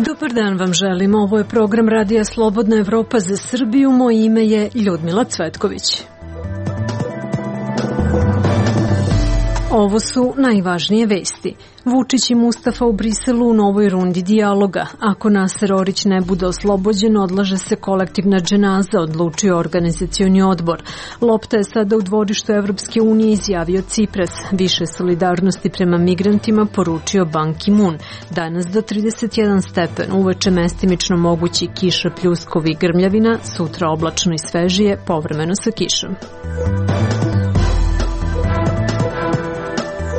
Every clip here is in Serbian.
Dobar dan vam želim. Ovo je program Radija Slobodna Evropa za Srbiju. Moje ime je Ljudmila Cvetković. Ovo su najvažnije vesti. Vučić i Mustafa u Briselu u novoj rundi dijaloga. Ako Naser Orić ne bude oslobođen, odlaže se kolektivna dženaza, odlučio organizacioni odbor. Lopta je sada u dvorištu Evropske unije, izjavio Cipras. Više solidarnosti prema migrantima, poručio Ban Ki-moon. Danas do 31 stepen, uveče mestimično mogući kiša, pljuskovi i grmljavina, sutra oblačno i svežije, povremeno sa kišom.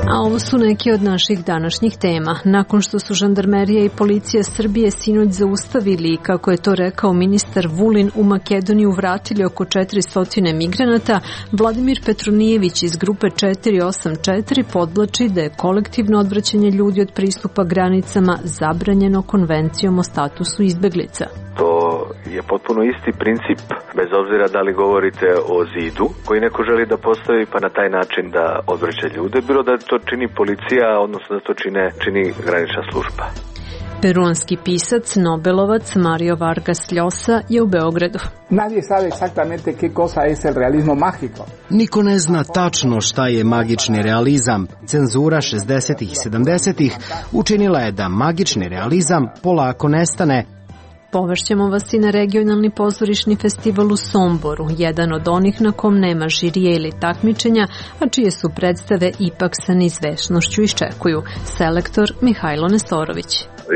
A ovo su neke od naših današnjih tema. Nakon što su žandarmerija i policija Srbije sinoć zaustavili i, kako je to rekao ministar Vulin, u Makedoniju vratili oko 400 migranata, Vladimir Petronijević iz grupe 484 podvlači da je kolektivno odvraćanje ljudi od pristupa granicama zabranjeno Konvencijom o statusu izbeglica. To je potpuno isti princip, bez obzira da li govorite o zidu koji neko želi da postavi pa na taj način da odvraća ljude, bilo da to čini policija, odnosno da to čini granična služba. Peruanski pisac, nobelovac Mario Vargas Llosa je u Beogradu. Nadie sabe exactamente qué cosa es el realismo mágico. Niko ne zna tačno šta je magični realizam. Cenzura 60-ih i 70-ih učinila je da magični realizam polako nestane. Povešćemo vas i na regionalni pozorišni festival u Somboru, jedan od onih na kom nema žirije ili takmičenja, a čije su predstave ipak sa neizvesnošću iščekuju. Selektor Mihajlo Nestorović.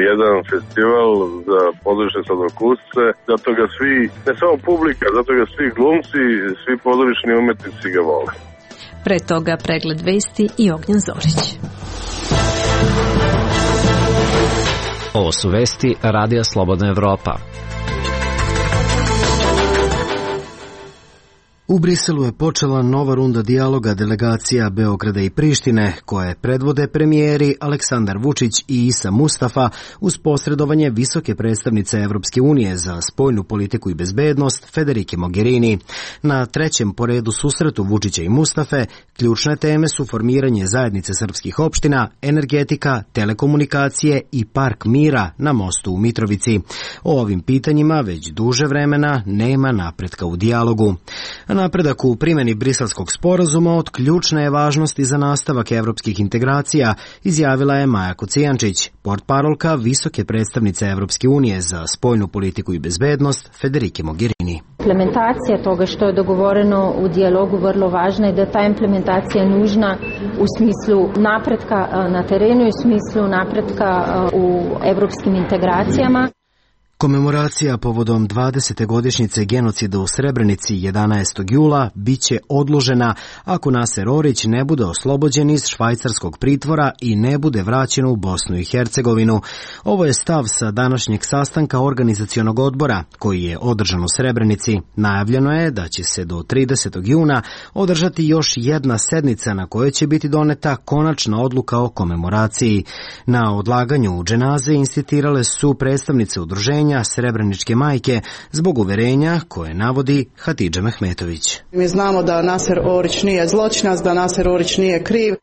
Jedan festival za pozorišne slatkokusce, zato ga svi, ne samo publika, zato ga svi glumci, svi pozorišni umetnici ga vole. Pre toga pregled vesti i Ognjan Zorić. Ovo su vesti Radija Slobodna Evropa. U Briselu je počela nova runda dijaloga delegacija Beograda i Prištine, koje predvode premijeri Aleksandar Vučić i Isa Mustafa uz posredovanje visoke predstavnice Evropske unije za spoljnu politiku i bezbednost Federike Mogherini. Na trećem po redu susretu Vučića i Mustafe ključne teme su formiranje zajednice srpskih opština, energetika, telekomunikacije i park mira na mostu u Mitrovici. O ovim pitanjima već duže vremena nema napretka u dijalogu. Napredak u primjeni Briselskog sporazuma od ključne je važnosti za nastavak evropskih integracija, izjavila je Maja Kocijančić, portparolka visoke predstavnice Evropske unije za spoljnu politiku i bezbednost Federike Mogherini. Implementacija toga što je dogovoreno u dijalogu vrlo važna i da ta implementacija je nužna u smislu napretka na terenu i u smislu napretka u evropskim integracijama. Komemoracija povodom 20. godišnjice genocida u Srebrenici 11. jula biće odložena ako Naser Orić ne bude oslobođen iz švajcarskog pritvora i ne bude vraćen u Bosnu i Hercegovinu. Ovo je stav sa današnjeg sastanka organizacionog odbora koji je održan u Srebrenici. Najavljeno je da će se do 30. juna održati još jedna sednica na kojoj će biti doneta konačna odluka o komemoraciji. Na odlaganju dženaze insistirale su predstavnice udruženja Srebreničke majke zbog uverenja koje navodi Hatidža Mehmetović. Mi znamo da Naser Orić nije zločinac, da Naser Orić nije kriv.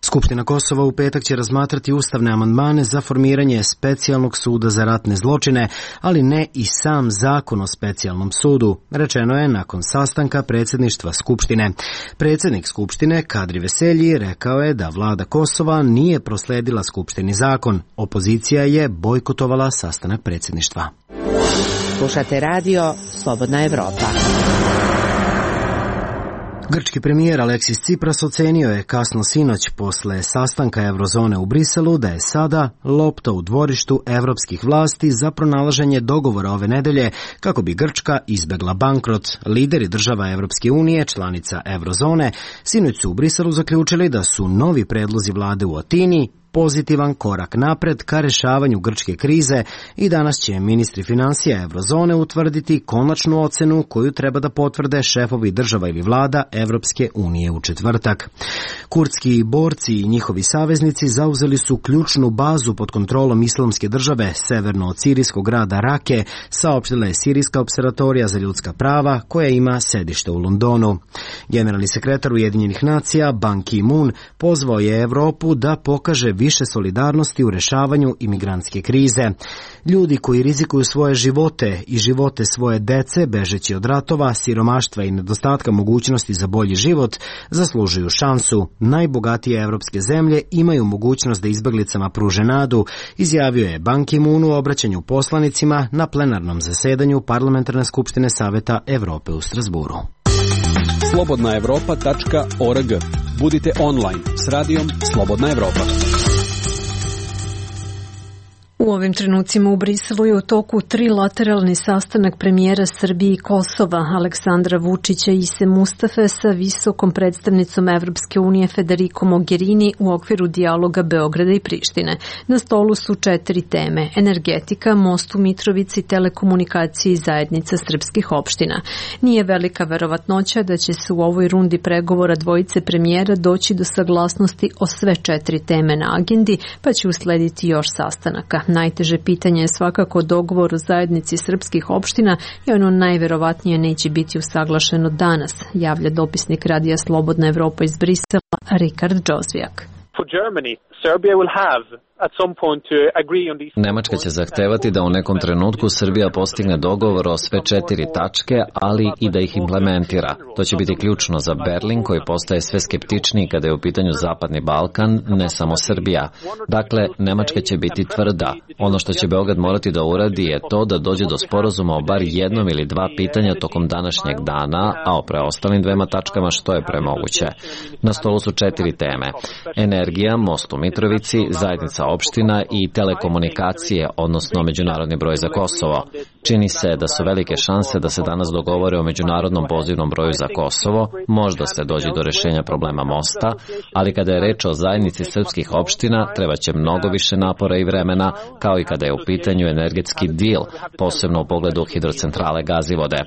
Skupština Kosova u petak će razmatrati ustavne amandmane za formiranje specijalnog suda za ratne zločine, ali ne i sam zakon o specijalnom sudu, rečeno je nakon sastanka predsjedništva Skupštine. Predsjednik Skupštine Kadri Veselji rekao je da vlada Kosova nije prosledila Skupštini zakon. Opozicija je bojkotovala sastanak predsjedništva. Slušate radio Slobodna Evropa. Grčki premijer Aleksis Cipras ocenio je kasno sinoć posle sastanka Eurozone u Briselu da je sada lopta u dvorištu evropskih vlasti za pronalaženje dogovora ove nedelje kako bi Grčka izbegla bankrot. Lideri država Evropske unije, članica Eurozone, sinoć su u Briselu zaključili da su novi predlozi vlade u Atini pozitivan korak napred ka rešavanju grčke krize i danas će ministri financija Eurozone utvrditi konačnu ocenu koju treba da potvrde šefovi država ili vlada Evropske unije u četvrtak. Kurdski borci i njihovi saveznici zauzeli su ključnu bazu pod kontrolom Islamske države severno od sirijskog grada Rake, saopštila je Sirijska opservatorija za ljudska prava koja ima sedište u Londonu. Generalni sekretar Ujedinjenih nacija Ban Ki-moon pozvao je Evropu da pokaže više solidarnosti u rešavanju imigrantske krize. Ljudi koji rizikuju svoje živote i živote svoje dece, bežeći od ratova, siromaštva i nedostatka mogućnosti za bolji život, zaslužuju šansu. Najbogatije evropske zemlje imaju mogućnost da izbeglicama pruže nadu, izjavio je Ban Ki-moon u obraćanju poslanicima na plenarnom zasedanju Parlamentarne skupštine Saveta Evrope u Strasburu. Slobodnaevropa.org. Budite online s radijom Slobodna Evropa. U ovim trenucima u Briselu je u toku trilateralni sastanak premijera Srbije i Kosova Aleksandra Vučića i Ise Mustafe sa visokom predstavnicom Evropske unije Federico Mogherini u okviru dijaloga Beograda i Prištine. Na stolu su 4 teme: energetika, most u Mitrovici, telekomunikacije i zajednica srpskih opština. Nije velika verovatnoća da će se u ovoj rundi pregovora dvojice premijera doći do saglasnosti o sve 4 teme na agendi, pa će uslediti još sastanaka. Najteže pitanje je svakako dogovor o zajednici srpskih opština i ono najverovatnije neće biti usaglašeno danas, javlja dopisnik Radija Slobodna Evropa iz Brisela Rikard Džozvijak. Nemačka će zahtevati da u nekom trenutku Srbija postigne dogovor o sve 4 tačke, ali i da ih implementira. To će biti ključno za Berlin, koji postaje sve skeptičniji kada je u pitanju Zapadni Balkan, ne samo Srbija. Dakle, Nemačka će biti tvrda. Ono što će Beograd morati da uradi je to da dođe do sporazuma o bar jednom ili 2 pitanja tokom današnjeg dana, a o preostalim 2 tačkama što je premoguće. Na stolu su 4 teme: energija, most u Mitrovici, zajednica opština i telekomunikacije, odnosno međunarodni broj za Kosovo. Čini se da su velike šanse da se danas dogovore o međunarodnom pozivnom broju za Kosovo, možda se dođe do rešenja problema mosta, ali kada je reč o zajednici srpskih opština, treba će mnogo više napora i vremena, kao i kada je u pitanju energetski dil, posebno u pogledu hidrocentrale Gazivode.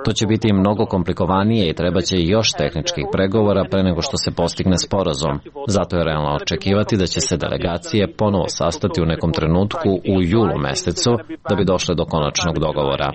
To će biti mnogo komplikovanije i treba će još tehničkih pregovora pre nego što se postigne sporazum. Zato je realno očekivati da će se delegacije ponovo sastati u nekom trenutku u julu mesecu da bi došle do konačnog dogovora.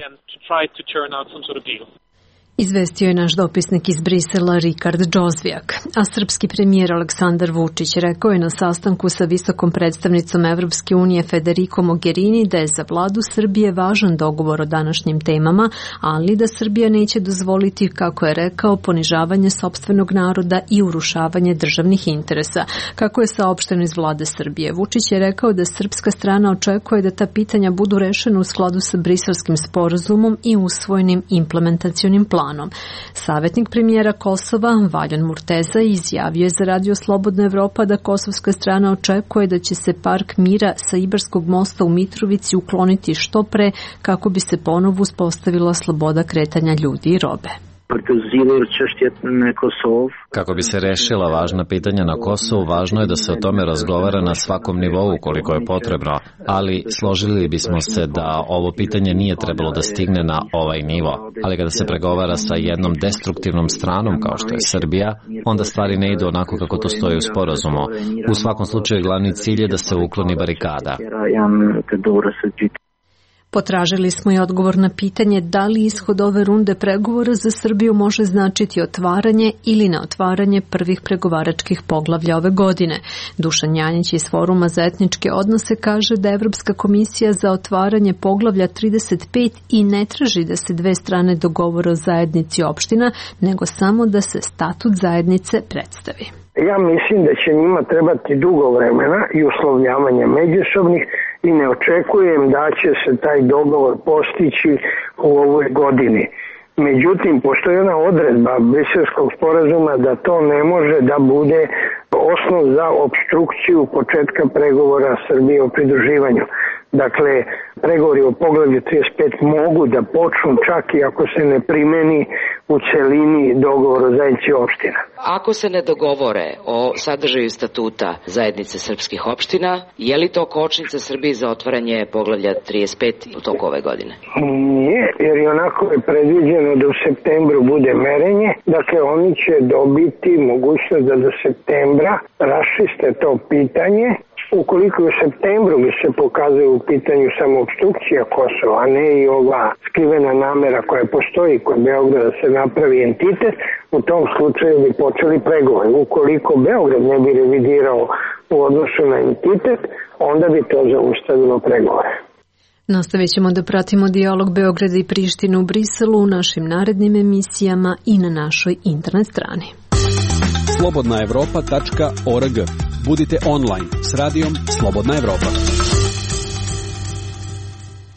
Izvestio je naš dopisnik iz Brisela Rikard Džozvijak. A srpski premijer Aleksandar Vučić rekao je na sastanku sa visokom predstavnicom Evropske unije Federico Mogherini da je za vladu Srbije važan dogovor o današnjim temama, ali da Srbija neće dozvoliti, kako je rekao, ponižavanje sopstvenog naroda i urušavanje državnih interesa. Kako je saopšteno iz vlade Srbije, Vučić je rekao da srpska strana očekuje da ta pitanja budu rešena u skladu sa Briselskim sporazumom i usvojenim implementacionim planom. Savjetnik premijera Kosova, Valjan Murteza, izjavio je za Radio Slobodna Evropa da kosovska strana očekuje da će se park mira sa Ibarskog mosta u Mitrovici ukloniti što pre kako bi se ponovo uspostavila sloboda kretanja ljudi i robe. Kako bi se rešila važna pitanja na Kosovu, važno je da se o tome razgovara na svakom nivou koliko je potrebno, ali složili bismo se da ovo pitanje nije trebalo da stigne na ovaj nivo. Ali kada se pregovara sa jednom destruktivnom stranom kao što je Srbija, onda stvari ne idu onako kako to stoji u sporazumu. U svakom slučaju glavni cilj je da se ukloni barikada. Potražili smo i odgovor na pitanje da li ishod ove runde pregovora za Srbiju može značiti otvaranje ili neotvaranje prvih pregovaračkih poglavlja ove godine. Dušan Janjić iz Foruma za etničke odnose kaže da Evropska komisija za otvaranje poglavlja 35 i ne traži da se 2 strane dogovore o zajednici opština, nego samo da se statut zajednice predstavi. Ja mislim da će njima trebati dugo vremena i uslovljavanja međusobnih i ne očekujem da će se taj dogovor postići u ovoj godini. Međutim, postoji jedna odredba Briselskog sporazuma da to ne može da bude osnov za opstrukciju početka pregovora Srbije o pridruživanju. Dakle, pregovori o poglavlju 35 mogu da počnu čak i ako se ne primeni u celini dogovor o zajednici opština. Ako se ne dogovore o sadržaju statuta zajednice srpskih opština, je li to kočnica Srbiji za otvaranje poglavlja 35 u toku ove godine? Nije, jer i onako je predviđeno da u septembru bude merenje. Dakle, oni će dobiti mogućnost da do septembra raščiste to pitanje. Ukoliko u septembru bi se pokazuje u pitanju samo opstrukcija Kosova, a ne i ova skrivena namera koja postoji kod Beograda da se napravi entitet, u tom slučaju bi počeli pregovori. Ukoliko Beograd ne bi revidirao u odnosu na entitet, onda bi to zaustavilo pregovore. Nastavit ćemo da pratimo dijalog Beograda i Prištine u Briselu u našim narednim emisijama i na našoj internet strani. slobodnaevropa.org. Budite online s radijom Slobodna Evropa.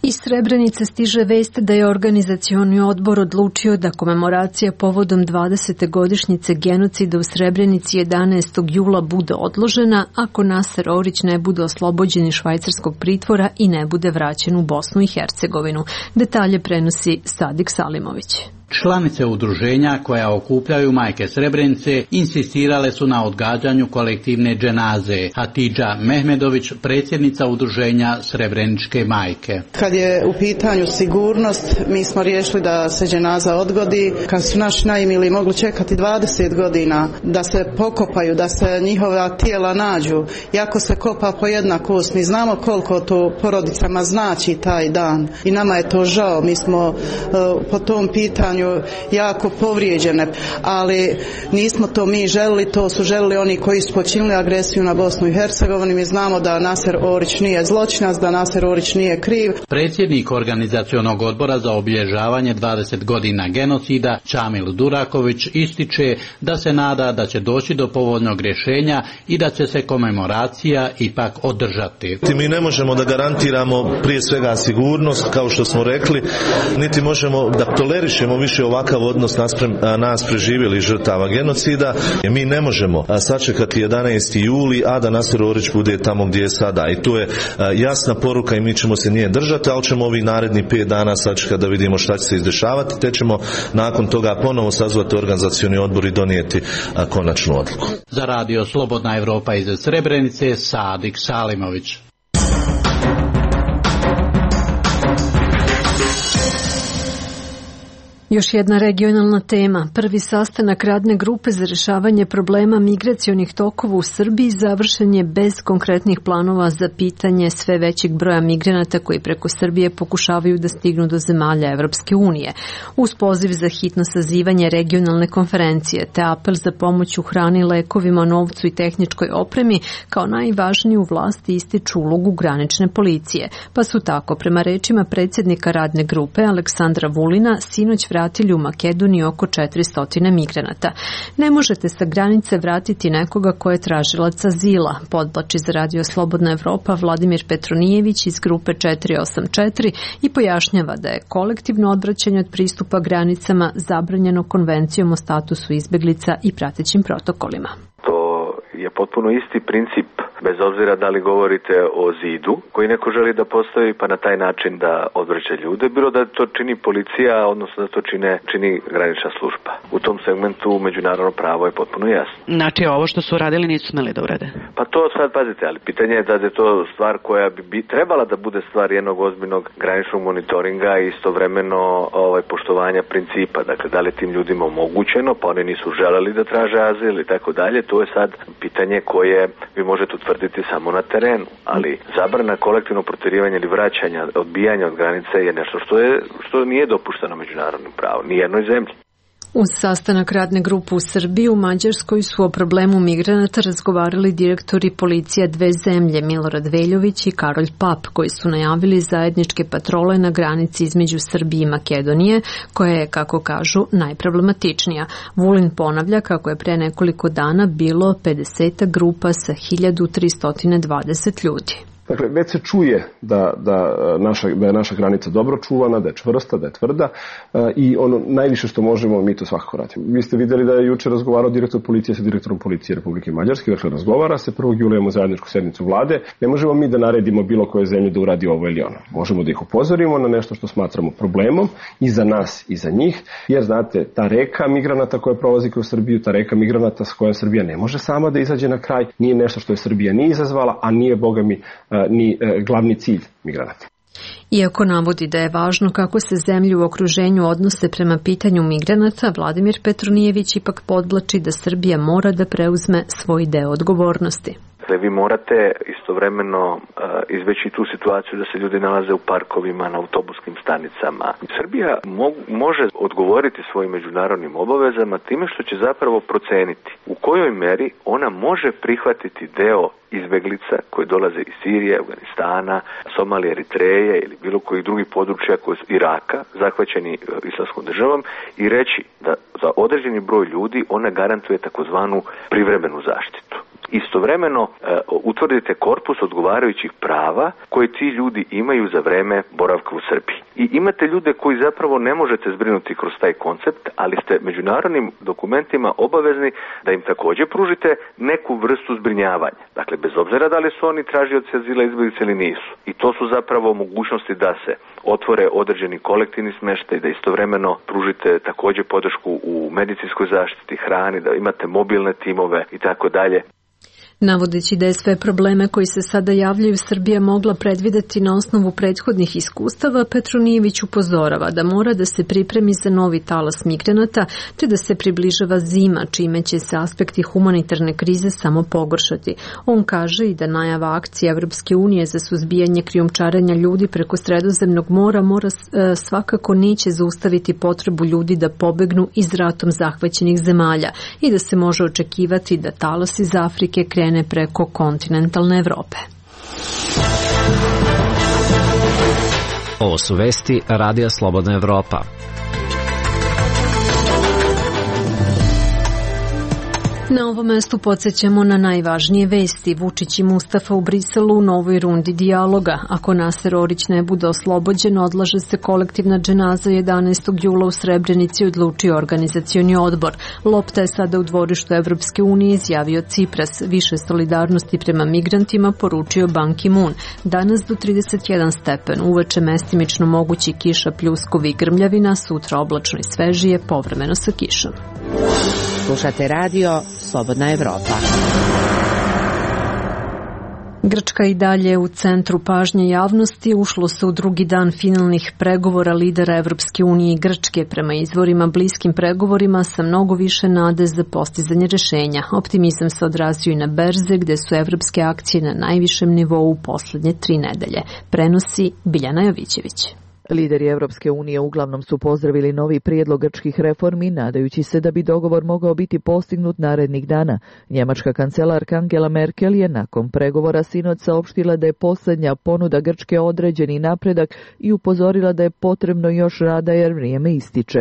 Iz Srebrenice stiže vest da je organizacioni odbor odlučio da komemoracija povodom 20. godišnjice genocida u Srebrenici 11. jula bude odložena ako Naser Orić ne bude oslobođen iz švajcarskog pritvora i ne bude vraćen u Bosnu i Hercegovinu. Detalje prenosi Sadik Salimović. Članice udruženja koja okupljaju majke Srebrenice insistirale su na odgađanju kolektivne dženaze. Hatidža Mehmedović, predsjednica udruženja Srebreničke majke. Kad je u pitanju sigurnost, mi smo riješili da se dženaza odgodi. Kad su naši najmili mogli čekati 20 godina da se pokopaju, da se njihova tijela nađu, jako se kopa po jedna kost. Mi znamo koliko to porodicama znači taj dan i nama je to žao. Mi smo po tom pitanju jako povrijeđene, ali nismo to mi želili, to su želili oni koji su počinili agresiju na Bosnu i Hercegovinu. Mi znamo da Naser Orić nije zločinac, da Naser Orić nije kriv. Predsjednik organizacionog odbora za obilježavanje 20 godina genocida Čamil Duraković ističe da se nada da će doći do povoljnog rješenja i da će se komemoracija ipak održati. Mi ne možemo da garantiramo prije svega sigurnost, kao što smo rekli, niti možemo da tolerišemo više ovakav odnos naspram nas preživjelih žrtava genocida. Mi ne možemo sačekati 11. juli, a da Naser Orić bude tamo gdje je sada. I tu je jasna poruka i mi ćemo se nje držati, ali ćemo ovih narednih 5 dana sačekati da vidimo šta će se izdešavati, te ćemo nakon toga ponovo sazvati organizacioni odbor i donijeti konačnu odluku. Za radio Slobodna Evropa iz Srebrenice, Sadik Salimović. Još jedna regionalna tema. Prvi sastanak radne grupe za rješavanje problema migracionih tokova u Srbiji završen je bez konkretnih planova za pitanje sve većeg broja migranata koji preko Srbije pokušavaju da stignu do zemalja Evropske unije. Uz poziv za hitno sazivanje regionalne konferencije te apel za pomoć u hrani, lekovima, novcu i tehničkoj opremi kao najvažniju vlasti ističu ulogu granične policije. Pa su tako, prema rečima predsjednika radne grupe Aleksandra Vulina, sinoć vratili u Makedoniju oko 400 migranata. Ne možete sa granice vratiti nekoga ko je tražilac azila, podvlači za radio Slobodna Evropa Vladimir Petronijević iz grupe 484 i pojašnjava da je kolektivno odvraćanje od pristupa granicama zabranjeno Konvencijom o statusu izbeglica i pratećim protokolima. To je potpuno isti princip, bez obzira da li govorite o zidu koji neko želi da postavi pa na taj način da odvraća ljude, bilo da to čini policija, odnosno da to čini granična služba. U tom segmentu međunarodno pravo je potpuno jasno. Znači ovo što su radili nisu smeli da urade? Pa to sad pazite, ali pitanje je da je to stvar koja bi trebala da bude stvar jednog ozbiljnog graničnog monitoringa i istovremeno poštovanja principa. Dakle, da li tim ljudima omogućeno, pa oni nisu želeli da traže azil i tako dalje, to je sad pitanje koje vi možete utvrditi samo na terenu, ali zabrana kolektivnog protjerivanja ili vraćanja, odbijanja od granice je nešto što nije dopušteno međunarodnim pravom, ni jednoj zemlji. Uz sastanak radne grupe u Srbiji, u Mađarskoj su o problemu migranata razgovarali direktori policija dve zemlje, Milorad Veljović i Karolj Pap, koji su najavili zajedničke patrole na granici između Srbije i Makedonije, koja je, kako kažu, najproblematičnija. Vulin ponavlja kako je pre nekoliko dana bilo 50 grupa sa 1320 ljudi. Dakle, već se čuje da je naša granica dobro čuvana, da je čvrsta, da je tvrda i ono najviše što možemo, mi to svakako radimo. Vi ste vidjeli da je juče razgovarao direktor policije sa direktorom policije Republike Mađarske, dakle razgovara se, 1. jula imamo zajedničku sednicu vlade. Ne možemo mi da naredimo bilo koje zemlje da uradi ovo ili ono. Možemo da ih upozorimo na nešto što smatramo problemom i za nas i za njih, jer znate, ta reka migranata koja prolazi kroz Srbiju, ta reka migranata s kojom Srbija ne može sama da izađe na kraj, nije nešto što je Srbija nije izazvala, a nije, boga mi, ni glavni cilj migranata. Iako navodi da je važno kako se zemlje u okruženju odnose prema pitanju migranata, Vladimir Petronijević ipak podvlači da Srbija mora da preuzme svoj deo odgovornosti. Dakle, vi morate istovremeno izbeći tu situaciju da se ljudi nalaze u parkovima, na autobuskim stanicama. Srbija može odgovoriti svojim međunarodnim obavezama time što će zapravo proceniti u kojoj meri ona može prihvatiti deo izbeglica koji dolaze iz Sirije, Afganistana, Somalije, Eritreje ili bilo kojih drugih područja koji su Iraka zahvaćeni islamskom državom i reći da za određeni broj ljudi ona garantuje takozvanu privremenu zaštitu. Istovremeno utvrdite korpus odgovarajućih prava koje ti ljudi imaju za vreme boravka u Srbiji. I imate ljude koji zapravo ne možete zbrinuti kroz taj koncept, ali ste međunarodnim dokumentima obavezni da im također pružite neku vrstu zbrinjavanja. Dakle, bez obzira da li su oni tražioci azila, izbjeglice ili nisu. I to su zapravo mogućnosti da se otvore određeni kolektivni smještaj, da istovremeno pružite također podršku u medicinskoj zaštiti, hrani, da imate mobilne timove i tako dalje. Navodeći da je sve probleme koji se sada javljaju Srbija mogla predvideti na osnovu prethodnih iskustava, Petronijević upozorava da mora da se pripremi za novi talas migranata, te da se približava zima, čime će se aspekti humanitarne krize samo pogoršati. On kaže i da najava akcije Evropske unije za suzbijanje krijumčarenja ljudi preko Sredozemnog mora svakako neće zaustaviti potrebu ljudi da pobegnu iz ratom zahvaćenih zemalja i da se može očekivati da talas iz Afrike krene preko kontinentalne Evrope. Ovo su vesti Radija Slobodna Evropa. Na ovom mestu podsjećamo na najvažnije vesti. Vučić i Mustafa u Briselu u novoj rundi dijaloga. Ako Naser Orić ne bude oslobođen, odlaže se kolektivna dženaza 11. jula u Srebrenici, odlučio organizacioni odbor. Lopta je sada u dvorištu Evropske unije, izjavio Cipras. Više solidarnosti prema migrantima poručio Ban Ki-moon. Danas do 31 stepen, uveče mestimično mogući kiša, pljuskovi i grmljavina, sutra oblačno i svežije, povremeno sa kišom. Slušate radio Slobodna Evropa. Grčka i dalje u centru pažnje javnosti. Ušlo se u drugi dan finalnih pregovora lidera Evropske unije i Grčke, prema izvorima bliskim pregovorima sa mnogo više nade za postizanje rješenja. Optimizam se odrazio i na berze, gde su evropske akcije na najvišem nivou u posljednje 3 nedelje. Prenosi Biljana Jovićević. Lideri Evropske unije uglavnom su pozdravili novi prijedlog grčkih reformi, nadajući se da bi dogovor mogao biti postignut narednih dana. Njemačka kancelarka Angela Merkel je nakon pregovora sinoć saopštila da je posljednja ponuda Grčke određeni napredak i upozorila da je potrebno još rada jer vrijeme ističe.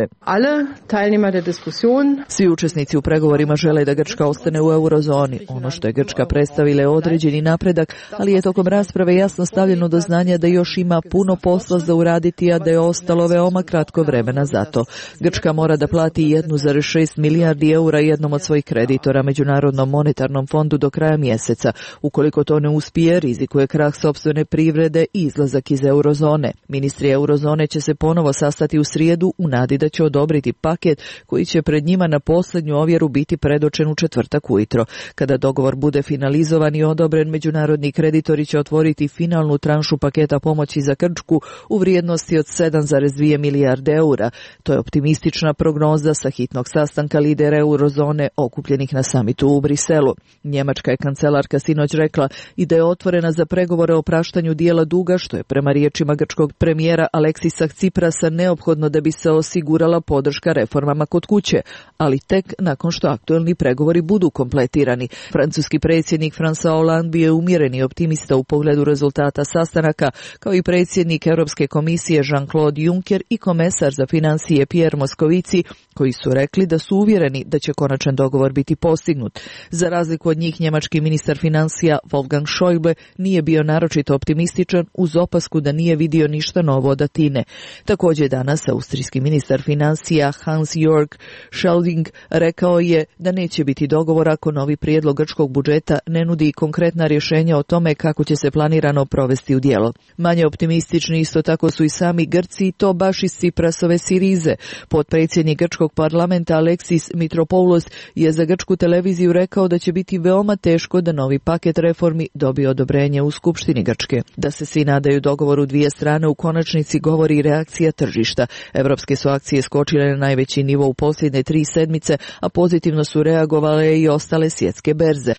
Svi učesnici u pregovorima žele da Grčka ostane u eurozoni. Ono što je Grčka predstavila je određeni napredak, ali je tokom rasprave jasno stavljeno do znanja da još ima puno posla za uraditi, a da je ostalo veoma kratko vremena za to. Grčka mora da plati 1,6 milijardi eura jednom od svojih kreditora Međunarodnom monetarnom fondu do kraja mjeseca. Ukoliko to ne uspije, rizikuje krah sopstvene privrede i izlazak iz eurozone. Ministri eurozone će se ponovo sastati u srijedu u nadi da će odobriti paket koji će pred njima na posljednju ovjeru biti predočen u četvrtak ujutro. Kada dogovor bude finalizovan i odobren, međunarodni kreditori će otvoriti finalnu tranšu paketa pomoći za Grčku u vrijednosti od 7,2 milijarde eura. To je optimistična prognoza sa hitnog sastanka lidera eurozone okupljenih na samitu u Briselu. Njemačka je kancelarka sinoć rekla i da je otvorena za pregovore o praštanju dijela duga, što je prema riječima grčkog premijera Aleksisa Ciprasa neophodno da bi se osigurala podrška reformama kod kuće, ali tek nakon što aktuelni pregovori budu kompletirani. Francuski predsjednik François Hollande bio je umjereni optimista u pogledu rezultata sastanaka, kao i predsjednik Europske komisije Jean-Claude Juncker i komesar za financije Pierre Moscovici, koji su rekli da su uvjereni da će konačan dogovor biti postignut. Za razliku od njih, njemački ministar financija Wolfgang Schäuble nije bio naročito optimističan, uz opasku da nije vidio ništa novo od Atine. Također danas austrijski ministar financija Hans-Jörg Schelling rekao je da neće biti dogovor ako novi prijedlog grčkog budžeta ne nudi konkretna rješenja o tome kako će se planirano provesti u djelo. Manje optimistični isto tako su i sami Grci, i to baš iz Ciprasove Sirize. Potpredsjednik grčkog parlamenta Aleksis Mitropoulos je za grčku televiziju rekao da će biti veoma teško da novi paket reformi dobije odobrenje u Skupštini Grčke. Da se svi nadaju dogovoru dvije strane u konačnici govori reakcija tržišta. Evropske su akcije skočile na najveći nivo u posljednje 3 sedmice, a pozitivno su reagovale i ostale svjetske berze.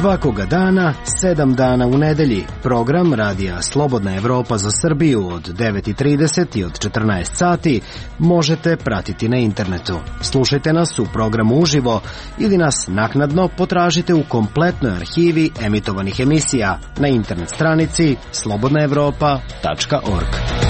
Svakoga dana, 7 dana u nedelji, program Radija Slobodna Evropa za Srbiju od 9:30 i od 14 sati možete pratiti na internetu. Slušajte nas u programu uživo ili nas naknadno potražite u kompletnoj arhivi emitovanih emisija na internet stranici slobodnaevropa.org.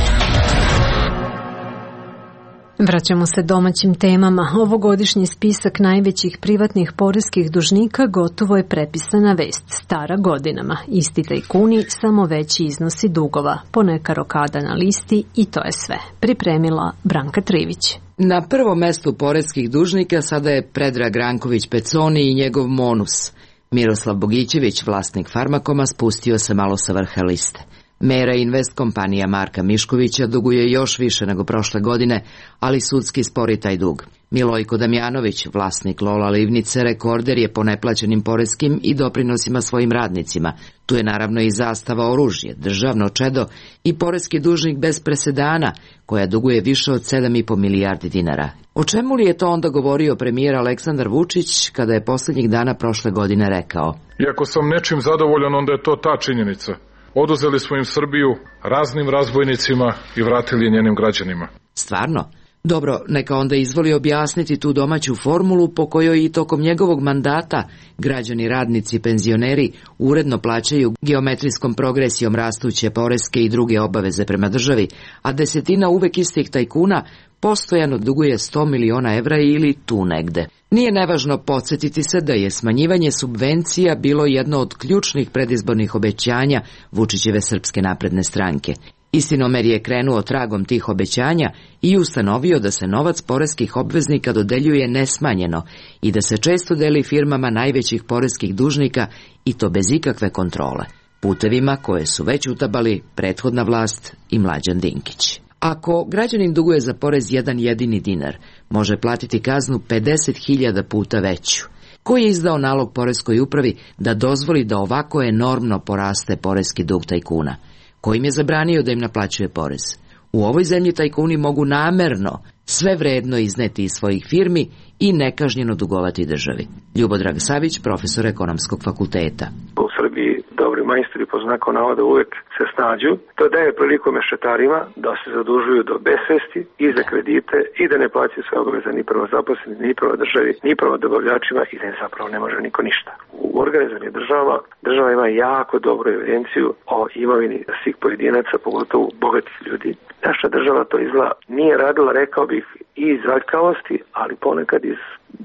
Vraćamo se domaćim temama. Ovogodišnji spisak najvećih privatnih poreskih dužnika gotovo je prepisana vest, stara godinama. Isti tajkuni, samo veći iznosi dugova, poneka rokada na listi i to je sve. Pripremila Branka Trivić. Na prvom mestu poreskih dužnika sada je Predrag Ranković Peconi i njegov Monus. Miroslav Bogićević, vlasnik Farmakoma, spustio se malo sa vrha liste. Mera Invest kompanija Marka Miškovića duguje još više nego prošle godine, ali sudski spori taj dug. Milojko Damjanović, vlasnik Lola Livnice, rekorder je po neplaćenim poreskim i doprinosima svojim radnicima. Tu je naravno i Zastava oružje, državno čedo i poreski dužnik bez presedana, koja duguje više od 7,5 milijardi dinara. O čemu li je to onda govorio premijer Aleksandar Vučić kada je posljednjih dana prošle godine rekao? Iako sam nečim zadovoljan, onda je to ta činjenica. Oduzeli smo im Srbiju raznim razbojnicima i vratili je njenim građanima. Stvarno? Dobro, neka onda izvoli objasniti tu domaću formulu po kojoj i tokom njegovog mandata građani, radnici, penzioneri uredno plaćaju geometrijskom progresijom rastuće poreske i druge obaveze prema državi, a desetina uvek istih tajkuna postojano duguje 100 miliona evra ili tu negde. Nije nevažno podsjetiti se da je smanjivanje subvencija bilo jedno od ključnih predizbornih obećanja Vučićeve Srpske napredne stranke. Istinomer je krenuo tragom tih obećanja i ustanovio da se novac poreskih obveznika dodeljuje nesmanjeno i da se često deli firmama najvećih poreskih dužnika i to bez ikakve kontrole, putevima koje su već utabali prethodna vlast i Mlađan Dinkić. Ako građanin duguje za porez jedan jedini dinar, može platiti kaznu 50.000 puta veću. Ko je izdao nalog poreskoj upravi da dozvoli da ovako enormno poraste poreski dug tajkuna? Ko im je zabranio da im naplaćuje porez? U ovoj zemlji tajkuni mogu namerno sve vredno izneti iz svojih firmi i nekažnjeno dugovati državi. Ljubodrag Savić, profesor Ekonomskog fakulteta. U Srbiji dobri majstori po znaku navoda uvek se snađu. To daje priliku mešetarima da se zadužuju do besvesti i za kredite i da ne plaćaju sve obaveze ni prema zaposlenim, ni prema državi, ni prema dobavljačima i da im zapravo ne može niko ništa. U organizovanim državama, država ima jako dobru evidenciju o imovini svih pojedinaca, pogotovo bogatih ljudi. Naša država to izgleda nije radila, rekao bih, i iz aljkavosti, ali ponekad iz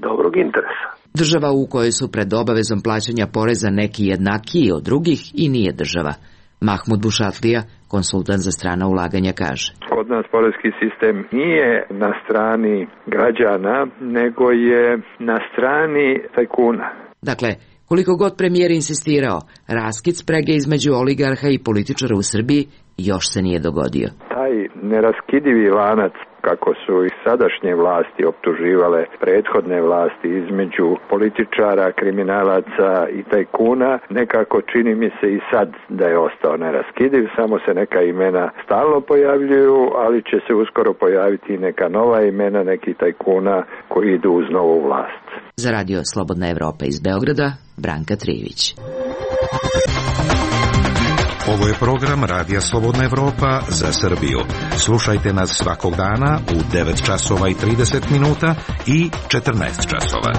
dobrog interesa. Država u kojoj su pred obavezom plaćanja poreza neki jednakiji od drugih i nije država. Mahmud Bušatlija, konsultant za strana ulaganja, kaže. Kod nas porezki sistem nije na strani građana, nego je na strani tajkuna. Dakle, koliko god premijer insistirao, raskid sprege između oligarha i političara u Srbiji još se nije dogodio. Taj neraskidivi lanac, kako su i sadašnje vlasti optuživale prethodne vlasti između političara, kriminalaca i tajkuna, nekako čini mi se i sad da je ostao neraskidiv, samo se neka imena stalno pojavljuju, ali će se uskoro pojaviti i neka nova imena nekih tajkuna koji idu uz novu vlast. Za Radio Slobodna Evropa iz Beograda, Branka Trivić. Ovo je program Radija Slobodna Evropa za Srbiju. Slušajte nas svakog dana u 9 časova i 30 minuta i 14 časova.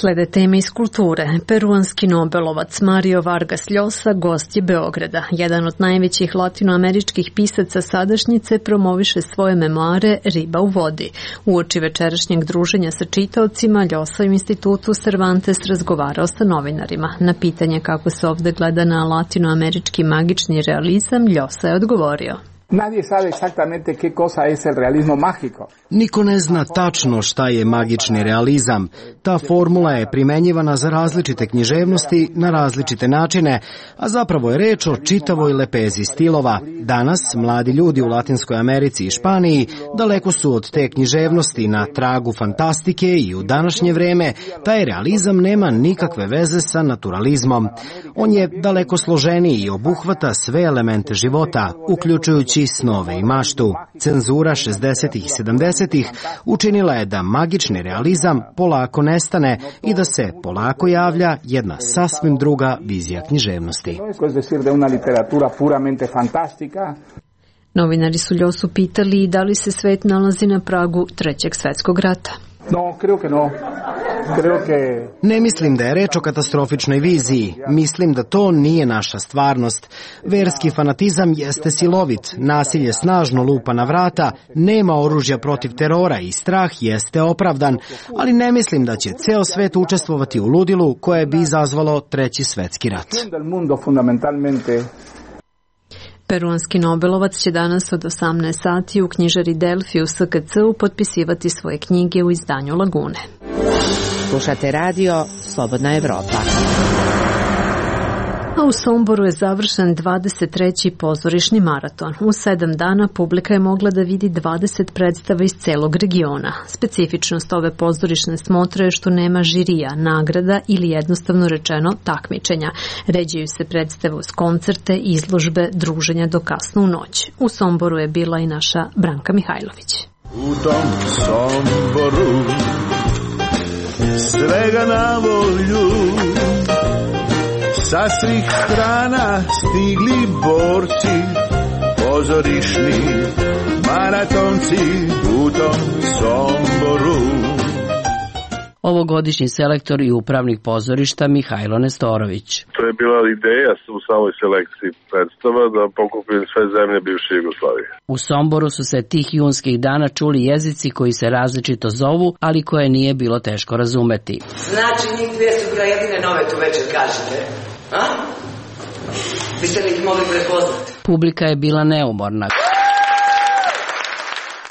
Slede teme iz kulture. Peruanski nobelovac Mario Vargas Llosa gost je Beograda. Jedan od najvećih latinoameričkih pisaca sadašnjice promoviše svoje memoare Riba u vodi. Uoči večerašnjeg druženja sa čitaocima, Llosa u institutu Cervantes razgovarao sa novinarima. Na pitanje kako se ovde gleda na latinoamerički magični realizam, Llosa je odgovorio. Nadie sabe exactamente qué cosa es el realismo mágico. Niko ne zna tačno šta je magični realizam. Ta formula je primenjivana za različite književnosti na različite načine, a zapravo je reč o čitavoj lepezi stilova. Danas mladi ljudi u Latinskoj Americi i Španiji daleko su od te književnosti na tragu fantastike i u današnje vreme taj realizam nema nikakve veze sa naturalizmom. On je daleko složeniji i obuhvata sve elemente života, uključujući kući, snove i maštu. Cenzura 60. i 70. učinila je da magični realizam polako nestane i da se polako javlja jedna sasvim druga vizija književnosti. Novinari su Ljosu pitali da li se svet nalazi na pragu Trećeg svetskog rata. Ne mislim da je reč o katastrofičnoj viziji. Mislim da to nije naša stvarnost. Verski fanatizam jeste silovit, nasilje snažno lupa na vrata, nema oružja protiv terora i strah jeste opravdan, ali ne mislim da će ceo svet učestvovati u ludilu koje bi izazvalo Treći svetski rat. Peruanski Nobelovac će danas od 18 sati u knjižari Delfi u SKC-u potpisivati svoje knjige u izdanju Lagune. Slušate radio Slobodna Evropa. A u Somboru je završen 23. pozorišni maraton. U 7 dana publika je mogla da vidi 20 predstava iz celog regiona. Specifičnost ove pozorišne smotre je što nema žirija, nagrada ili jednostavno rečeno takmičenja. Ređaju se predstave uz koncerte, izložbe, druženja do kasno u noć. U Somboru je bila i naša Branka Mihajlović. U tom Somboru svega na volju, sa svih strana stigli borci, pozorišni maratonci u tom Somboru. Ovogodišnji selektor i upravnik pozorišta Mihajlo Nestorović. To je bila ideja u samoj selekciji predstava da pokupim sve zemlje bivše Jugoslavije. U Somboru su se tih junskih dana čuli jezici koji se različito zovu, ali koje nije bilo teško razumeti. Znači njih dvije su jedine nove tu večer, kažete? A? Biste li ih mogli prepoznati? Publika je bila neumorna.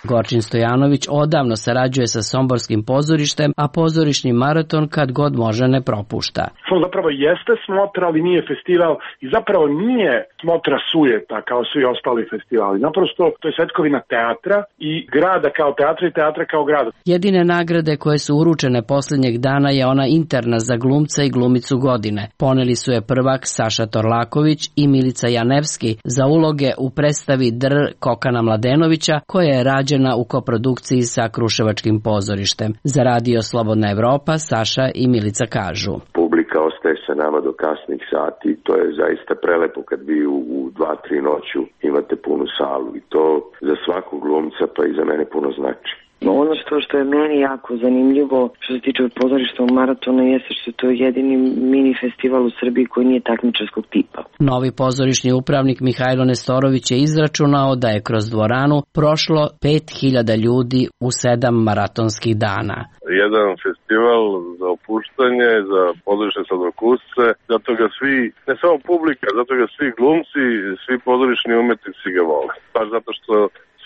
Gorčin Stojanović odavno sarađuje sa somborskim pozorištem, a pozorišni maraton kad god može ne propušta. To zapravo jeste smotra, ali nije festival i zapravo nije smotra sujeta kao svi ostali festivali. Naprosto to je svetkovina teatra i grada kao teatra i teatra kao grada. Jedine nagrade koje su uručene posljednjeg dana je ona interna za glumca i glumicu godine. Poneli su je prvak Saša Torlaković i Milica Janevski za uloge u predstavi Dr. Kokana Mladenovića, koja je rađena u koprodukciji sa Kruševačkim pozorištem. Za radio Slobodna Evropa Saša i Milica kažu. Publika ostaje sa nama do kasnih sati, to je zaista prelepo kad vi u 2-3 noću imate punu salu i to za svakog glumca pa i za mene puno znači. Ono što je meni jako zanimljivo što se tiče pozorišta u maratonu jeste što je to jedini mini festival u Srbiji koji nije takmičarskog tipa. Novi pozorišni upravnik Mihajlo Nestorović je izračunao da je kroz dvoranu prošlo 5000 ljudi u 7 maratonskih dana. Jedan festival za opuštanje, za pozorišne sladokusce, zato ga svi, ne samo publika, zato ga svi glumci, svi pozorišni umetnici ga vole. Baš zato što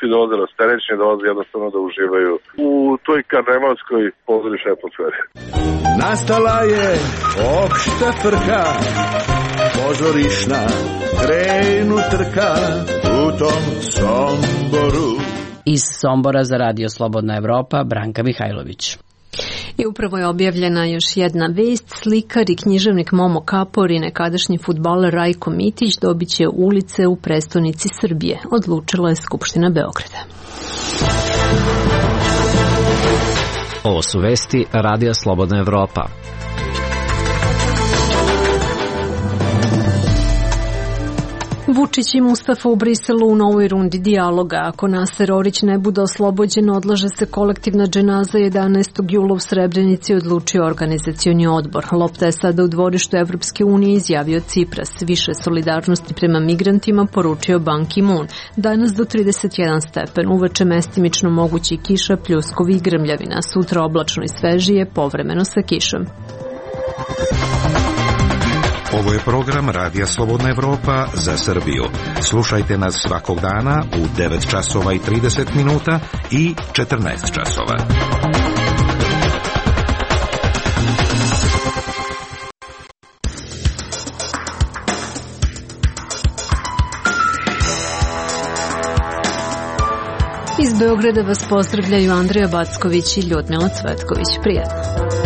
svi dolaze rasterećeni, dolaze jednostavno da uživaju u toj karnevalskoj pozorišnoj atmosferi. Nastala je opšta frka, pozorišna, krenu trka u tom Somboru. Iz Sombora za radio Slobodna Evropa, Branka Mihajlović. I upravo je objavljena još jedna vest. Slikar i književnik Momo Kapor i nekadašnji fudbaler Rajko Mitić dobit će ulice u prestonici Srbije, odlučila je Skupština Beograda. Ovo su vesti Radija Slobodna Evropa. Vučić i Mustafa u Briselu u novoj rundi dijaloga. Ako Naser Orić ne bude oslobođen, odlaže se kolektivna dženaza 11. jula u Srebrenici, odlučio organizacioni odbor. Lopta je sada u dvorištu Evropske unije, izjavio Cipras. Više solidarnosti prema migrantima poručio Ban Ki-moon. Danas do 31 stepen, uveče mestimično mogući kiša, pljuskovi i grmljavina. Sutra oblačno i svežije, povremeno sa kišom. Ovo je program Radija Slobodna Evropa za Srbiju. Slušajte nas svakog dana u 9 časova i 30 minuta i 14 časova. Iz Beograda vas pozdravljaju Andreja Backović i Ljudmila Cvetković. Prijatno.